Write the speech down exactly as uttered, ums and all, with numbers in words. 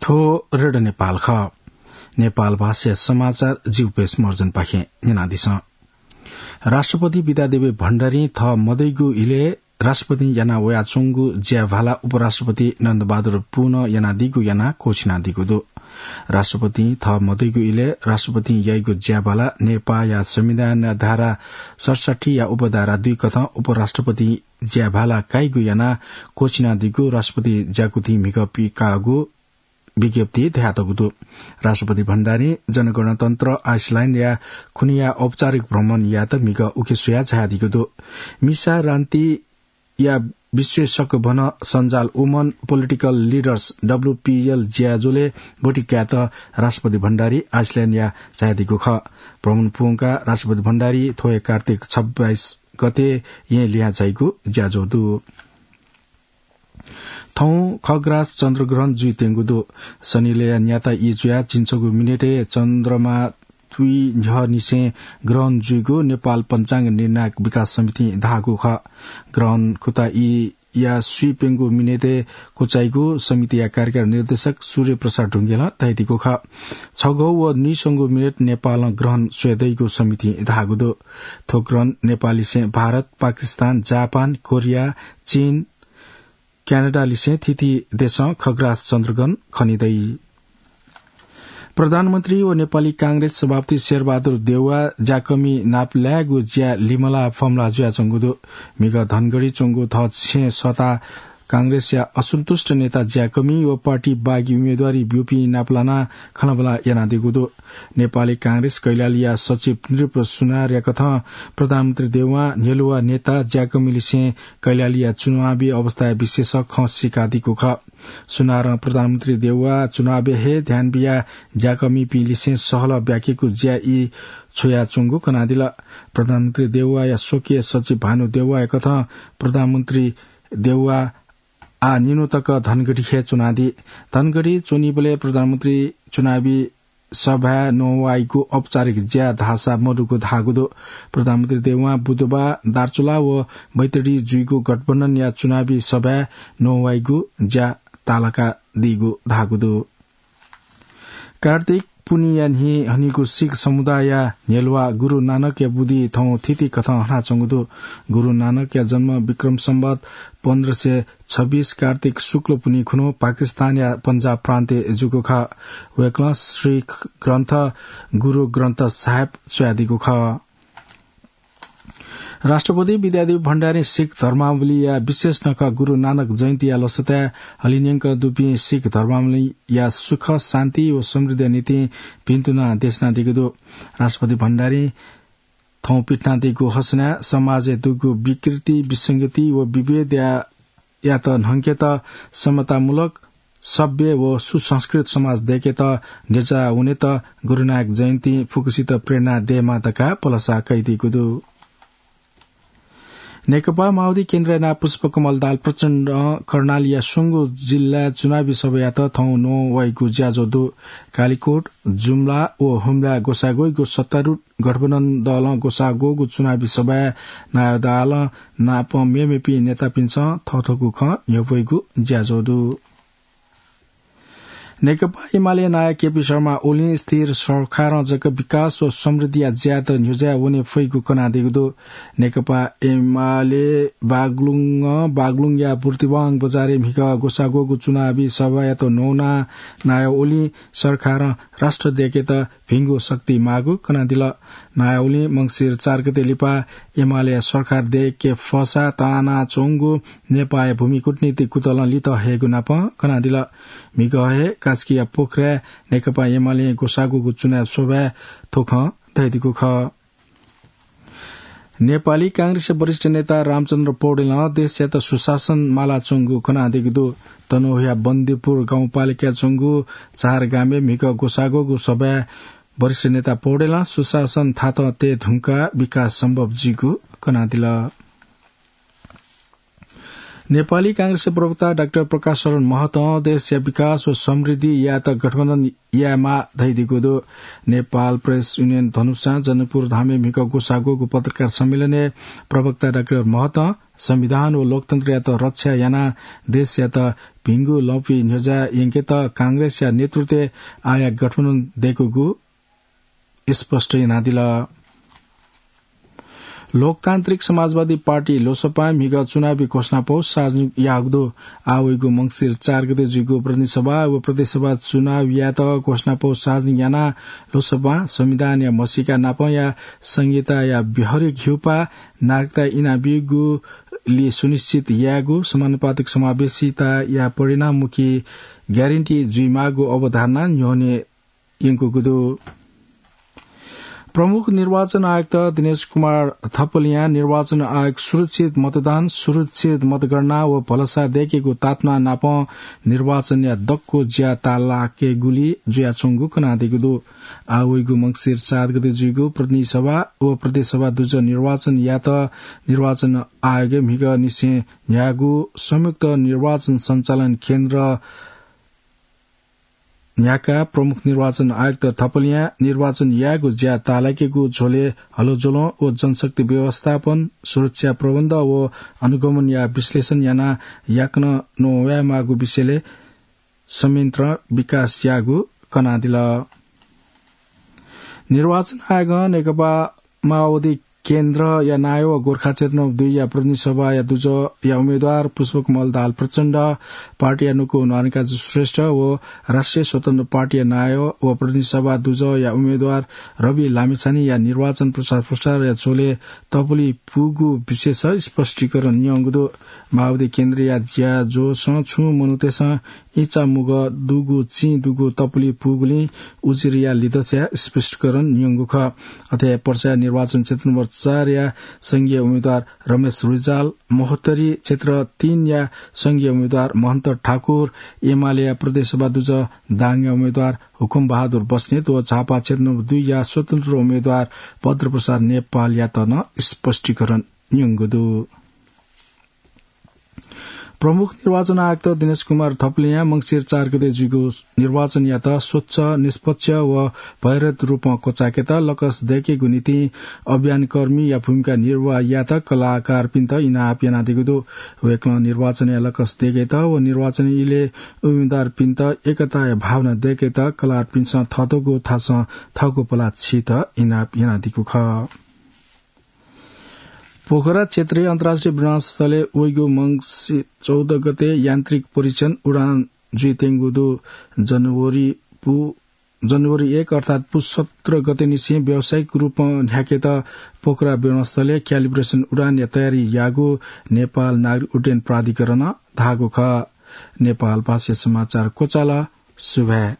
थ्व रेडियो नेपाल खः। नेपाल भाषा समाचार जिउपेश मर्जनपाखें न्यनादिसँ। राष्ट्रपति विद्यादेवी भण्डारी थः मदइगु इलय् राष्ट्रपतिं याना वयाच्वंगु ज्याभाला उपराष्ट्रपति नन्दबहादुर पुनं यानादीगु यानाः क्वःछिनादीगु दु। राष्ट्रपतिं थः मदइगु इलय् राष्ट्रपतिं याइगु ज्याभाला नेपाःया संविधानया धारा सतसट्ठीया उपधारा दुई कथं उपराष्ट्रपतिं ज्याभाला काइगु यानाः क्वःछिनादीगु राष्ट्रपति ज्याकुथिं म्हिगः पिकाःगु विज्ञप्तिइ धयातःगु दु। राष्ट्रपति भण्डारीं जनगणतन्त्र आइसल्याण्डया खुनिया औपचारिक भ्रमण यायेत म्हिगः उखे स्वयाः झायादीगु दु। मिसा रान्तिया विश्वेशक भन सञ्जाल Women Political Leaders, डब्ल्यूपीएल, ज्याझ्वलय् ब्वति कायेत राष्ट्रपति भण्डारी आइसल्याण्डया झायादीगु खः। भ्रमण पूवंकाः राष्ट्रपति भण्डारी थ्व हे कार्तिक छब्बाइस गते येँ लिहां झाइगु ज्याझ्वः दु। थौं खग्रास चन्द्रग्रहण जुइत्यंगु दु। सनिलय् न्याता ई जुयाः झिंछगू मिनेटय् चन्द्रमा तुइ न्ह्यःनिसें ग्रहण जुइगु नेपाल पञ्चाङ्ग निर्णायक विकास समितिं धाःगु खः। ग्रहण खुता ईया स्वीप्यंगू मिनेटय् क्वचाइगु समितिया कार्यकारी निर्देशक सूर्य प्रसाद ढुंगेलं धयादीगु खः। छगू व नुइसंगू मिनेट नेपालं ग्रहण स्वयेदइगु समितिं धाःगु दु। थ्व ग्रहण नेपाललिसें भारत, पाकिस्तान, जापान, कोरिया, चीन, क्यानाडालिसें थीथी देशं खग्रास चन्द्रग्रहण खनेदइ। प्रधानमन्त्री व नेपाली कांग्रेस सभापति शेरबहादुर देउवा ज्याकमि नापलायेगु ज्याय् लिमलाः फमलाः जुयाच्वंगु दु। म्हिगः धनगढी च्वंगु थः छेँय् सःताः कांग्रेसया असन्तुष्ट नेता ज्याकमि व पार्टी बागी उम्मेदवारी ब्यूपिं नापलानाः खँल्हाबल्हा यानादीगु दु। नेपाली कांग्रेस कैलालीया सचिव नृप सुनारया कथं प्रधानमन्त्री देउवां न्ह्यलुवा नेता ज्याकमिलिसें कैलालीया चुनावी अवस्थाया विषयय् खँ सीकादीगु खः। सुनारं प्रधानमन्त्री देउवा चुनावय् हे ध्यान बियाः ज्याकमिपिंलिसें सहलह ब्याकेगु ज्याय् ई छ्वयाच्वंगु कनादिल। प्रधानमन्त्री देउवाया स्वकीय सचिव भानु देउवाया कथं प्रधानमन्त्री देउवा आः निन्हु तक धनगढीखे च्वनादी। धनगढी च्वनीबलय् प्रधानमन्त्री चुनावी सभाय् नवाइगु औपचारिक ज्या धाःसा मदुगु धाःगु दु। प्रधानमन्त्री देउवां बुधबाः दार्चुला व बैतडी जुइगु गठबन्धनया चुनावी सभाय् नवाइगु ज्या तालाकादीगु धाःगु दु। कार्तिक पुन्हिया न्हि हनीगु सिख समुदायया न्ह्यलुवा गुरु नानकया बुदिं थौं थीथी कथं हनाच्वंगु दु। गुरु नानकया जन्म विक्रम सम्वत पन्ध्र सय छब्बीस कार्तिक शुक्ल पुन्हि खुन्हु पाकिस्तानया पञ्जाब प्रान्तय् जूगु खः। वय्कलं सिख ग्रन्थ गुरु ग्रन्थ साहेब च्वयादीगु खः। राष्ट्रपति विद्यादेवी भण्डारीं सिख धर्मावलम्बीया विशेष नखः गुरु नानक जयन्तीया लसताय् हलिंन्यंक दुपिं सिख धर्मावलम्बीया सुख, शान्ति व समृद्धिया निंतिं भिन्तुना देछानादीगु दु। राष्ट्रपति भण्डारीं थौं पिथनादीगु हसनाय् समाजय् दुगु विकृति, विसंगति व विभेदया यात न्हंकेत समतामूलक, सभ्य व सुसंस्कृत समाज दय्केत न्ह्यज्याः वनेत गुरुनायक जयन्तीं फुक्कसित प्रेरणा दयेमा धकाः भलसा कयादीगु दु। नेकपा माओवादी केन्द्रया नायः पुष्पकमल दाहाल प्रचण्डं कर्णालीया स्वंगू जिल्लाय् चुनावी सभायात थौं नवाइगु ज्याझ्वः दु। कालिकोट, जुम्ला व हुम्लाय् ग्वसाः ग्वइगु सत्तारूढ गठबन्धन दलं ग्वसाः ग्वःगु चुनावी सभाय् नायः दाहालं नापं मेमेपिं नेतापिन्सं थःथःगु खँ न्ह्यब्वइगु ज्याझ्वः दु। नेकपा एमाले नायः केपी शर्मा ओलीं स्थिर सरकारं जक विकास व समृद्धिया ज्यायात न्ह्यज्याः वने फइगु कनादीगु दु। नेकपा एमाले बागलुङं बागलुङया बुर्तिवाङ बजारय् म्हिगः ग्वसाः ग्वःगु चुनावी सभायात न्वनाः नायः ओलीं सरकारं राष्ट्र दय्केत भिंगु शक्ति माःगु कनादिल। नायः ओलीं मंसिर चार गते लिपा एमाले सरकार दय्के फःसा तानाच्वंगु नेपाःया भूमि कूटनीतिक कुतलं लित हयेगु नापं कनादिल। म्हिगः हे कास्कीया पोखराय् नेकपा एमालें ग्वसाः ग्वःगु चुनावी सभाय् थ्व खँ धयादीगु खः। नेपाली कांग्रेसया वरिष्ठ नेता रामचन्द्र पौडेलं देशयात सुशासन मालाच्वंगु कनादीगु दु। तनहुँया बन्दीपुर गाउँपालिकाय् च्वंगु चार गामय् म्हिगः ग्वसाः ग्वःगु सभाय् वरिष्ठ नेता पौडेलं सुशासन थातं तये धुंकाः विकास सम्भव जुइगु कनादिल। नेपाली कांग्रेसया प्रवक्ता डाक्टर प्रकाश शरण महतं देशया विकास व समृद्धि यायेत गठबन्धन यायेमाः धयादीगु दु। नेपाल प्रेस युनियन धनुषां जनकपुर धामय् म्हिगः ग्वसाः ग्वःगु पत्रकार सम्मेलनय् प्रवक्ता डाक्टर महतं संविधान व लोकतन्त्रयात रक्षा यानाः देशयात भिंगु लँपुइ न्ह्यज्याः यंकेत कांग्रेसया नेतृत्वय् आःया गठबन्धन दय्कूगु स्पष्ट यानादिल। लोकतान्त्रिक समाजवादी पार्टी लोसपां म्हिगः चुनावी घोषणापौ सार्वजनिक याःगु दु। आः वइगु मंसिर चार गते जुइगु प्रतिनिधि सभा व प्रदेश सभा चुनाव यायेत घोषणापौ सार्वजनिक यानाः लोसपां संविधानया म्हसीका नापंया संहिताया व्यावहारिक हिउपाः नागरिकता इनाबीगुली सुनिश्चित यायेगु, समानुपातिक समावेशिताया परिणाममुखी ग्यारेन्टी जुइमाःगु अवधारणा न्ह्यःने यंकूगु दु। प्रमुख निर्वाचन आयुक्त दिनेश कुमार थपलियां निर्वाचन आयोग सुरक्षित मतदान, सुरक्षित मतगणना व भलसा दय्केगु तातुना नापं निर्वाचनया दक्व ज्या ताःलाकेगुली जुयाच्वंगु कनादीगु दु। आः वइगु मंसिर चार गते जुइगु प्रतिनिधि सभा व प्रदेश सभा दुजः निर्वाचन यात निर्वाचन आयोगय् म्हिगः निसें न्ह्याःगु संयुक्त निर्वाचन सञ्चालन केन्द्र न्ह्याकाः प्रमुख निर्वाचन आयुक्त थपलियां निर्वाचन यायेगु ज्या ताःलाकेगु झ्वलय् हलज्वलं व जनशक्ति व्यवस्थापन, सुरक्षा प्रबन्ध व अनुगमनया विश्लेषण यानाः याकनं नवायेमाःगु विषयलय् संयन्त्र विकास याःगु कनादिल। निर्वाचन आयोगं नेकपा माओवादी केन्द्रया नायः व गोर्खा क्षेत्र नम्बर दुईया प्रतिनिधि सभाया दुजःया उम्मेद्वार पुष्पकमल दाहाल प्रचण्ड, पार्टीया नुगः न्वारकाजी श्रेष्ठ व राष्ट्रिय स्वतन्त्र पार्टीया नायः व प्रतिनिधि सभा दुजःया उम्मेद्वार रवि लामिछानेया निर्वाचन प्रचार प्रसारया झ्वलय् तपुलि पूगु विषयस स्पष्टीकरण न्यंगु दु। माओवादी केन्द्रया ज्याझ्वलय् छुं मनूतय्सं इचा मुगः दुगु चिं दुगु तपुलि पूगुलिं उजुरीया लिधंसाया स्पष्टीकरण न्यंगु खः। अथे पर्सा निर्वाचन क्षेत्र नम्बर चारया संघीय उम्मेद्वार रमेश रिजाल, महोत्तरी क्षेत्र तीनया संघीय उम्मेद्वार महन्त ठाकुर, एमालेया प्रदेश सभा दुजः दाङया उम्मेद्वार हुकुम बहादुर बस्नेत व झापा क्षेत्र नम्बर दुईया स्वतन्त्र उम्मेद्वार भद्रप्रसाद नेपालयात नं स्पष्टीकरण न्यंगु दु। प्रमुख निर्वाचन आयुक्त दिनेश कुमार थपलियां मंसिर चार गते जुइगु निर्वाचनयात स्वच्छ, निष्पक्ष व भयरहित रूपं क्वचायेकेत लकस दय्केगु निंतिं अभियानकर्मीया भूमिका निर्वाह यायेत कलाकारपिन्त इनाप यानादीगु दु। वय्कलं निर्वाचनया लकस दय्केत व निर्वाचन इलय् उम्मेद्वारपिन्त एकताया भावना दय्केत कलाकारपिन्सं थःथःगु थासं थःगु पलाः छीत इनाप यानादीगु खः। पोखरा क्षेत्रीय अन्तर्राष्ट्रिय विमानस्थलय् वइगु मंसिर चौध गते यान्त्रिक परीक्षण उडान जुइत्यंगु दु। जनवरी पु-, जनवरी एक अर्थात् पुस सत्र गते निसें व्यावसायिक रूपं न्ह्याकेत पोखरा विमानस्थलय् calibration उडानया तयारी याःगु नेपाल नागरिक उड्डयन प्राधिकरणं धाःगु खः। नेपाल भाषाया समाचार क्वचाल। सुभाय्।